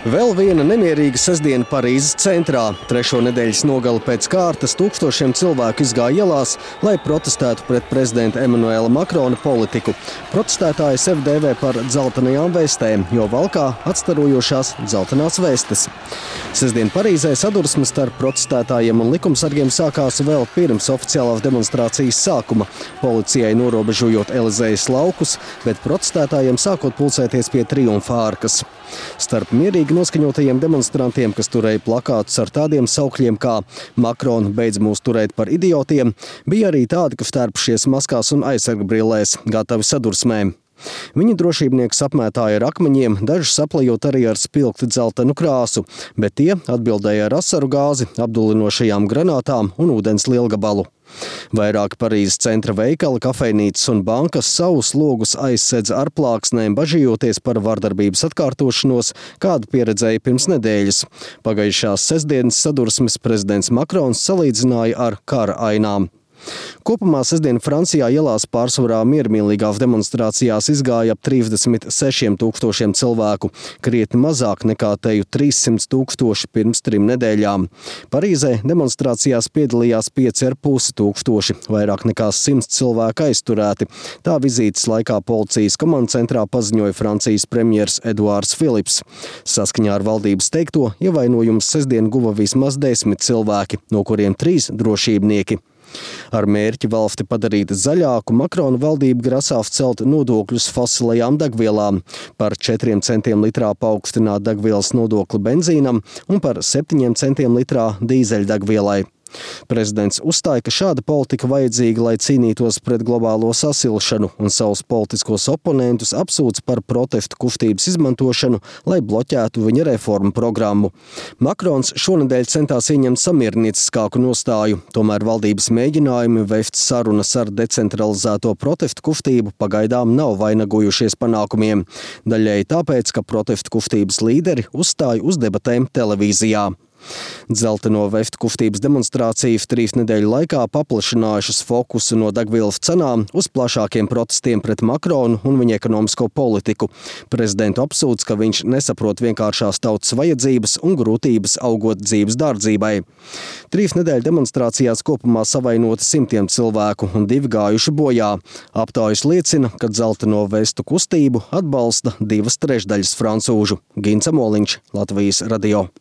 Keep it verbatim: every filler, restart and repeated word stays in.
Vēl viena nemierīga sestdiena Parīzes centrā. Trešo nedēļas nogali pēc kārtas tūkstošiem cilvēku izgāja ielās, lai protestētu pret prezidenta Emanuela Makrona politiku. Protestētāji sevi dēvē par dzeltenajām vestēm, jo valkā atstarojošās dzeltenās vestes. Sestdien Parīzē sadursmes starp protestētājiem un likumsargiem sākās vēl pirms oficiālās demonstrācijas sākuma, policijai norobežojot Elizejas laukus, bet protestētājiem sākot pulcēties pie Triumfa ārkas. Starp mierīgi noskaņotajiem demonstrantiem, kas turēja plakātus ar tādiem saukļiem kā "Makrona beidz mūs turēt par idiotiem", bija arī tādi, kas tērpušies maskās un aizsargbrillēs, gatavi sadursmēm. Viņi drošībniekus apmētāja ar akmeņiem, dažus saplejot arī ar spilgti dzeltenu krāsu, bet tie atbildēja ar asaru gāzi, apdulinošajām granātām un ūdens lielgabalu. Vairāk Parīzes centra veikali, kafejnīcas un bankas savus logus aizsedz ar plāksnēm, bažījoties par vardarbības atkārtošanos, kādu pieredzēja pirms nedēļas. Pagājušās sestdienas sadursmes prezidents Makrons salīdzināja ar kara ainām. Kopumā sestdien Francijā ielās pārsvarā miermīlīgās demonstrācijās izgāja ap trīsdesmit sešiem tūkstošiem cilvēku, krietni mazāk nekā teju trīssimt tūkstoši pirms trim nedēļām. Parīzē demonstrācijās piedalījās pieci ar pusi tūkstoši, vairāk nekā simts cilvēku aizturēti. Tā vizītes laikā policijas komandacentrā paziņoja Francijas premjers Eduards Filips. Saskaņā ar valdības teikto, ievainojumus sestdien guva vismaz desmit cilvēki, no kuriem trīs drošībnieki. Ar mērķi valsti padarīt zaļāku, Makrona valdība grasās celt nodokļus fosilajām degvielām, par četriem centiem litrā paaugstināt degvielas nodokli benzīnam un par septiņiem centiem litrā dīzeļdegvielai. Prezidents uzstāja, ka šāda politika vajadzīga, lai cīnītos pret globālo sasilšanu, un savus politiskos oponentus apsūdz par protestu kustības izmantošanu, lai bloķētu viņa reformu programmu. Makrons šonedēļ centās ieņemt samiernieciskāku nostāju, tomēr valdības mēģinājumi vest sarunas ar decentralizēto protestu kustību pagaidām nav vainagojušies panākumiem. Daļēji tāpēc, ka protestu kustības līderi uzstāja uz debatēm televīzijā. Dzelteno vestu kustības demonstrācijas trīs nedēļu laikā paplašinājušas fokusu no degvielas cenām uz plašākiem protestiem pret Makronu un viņa ekonomisko politiku. Prezidentu apsūdz, ka viņš nesaprot vienkāršās tautas vajadzības un grūtības augot dzīves dārdzībai. Trīs nedēļu demonstrācijās kopumā savainoti simtiem cilvēku un divi gājuši bojā. Aptaujas liecina, ka dzelteno vestu kustību atbalsta divas trešdaļas francūžu. Gins Amoliņš, Latvijas radio.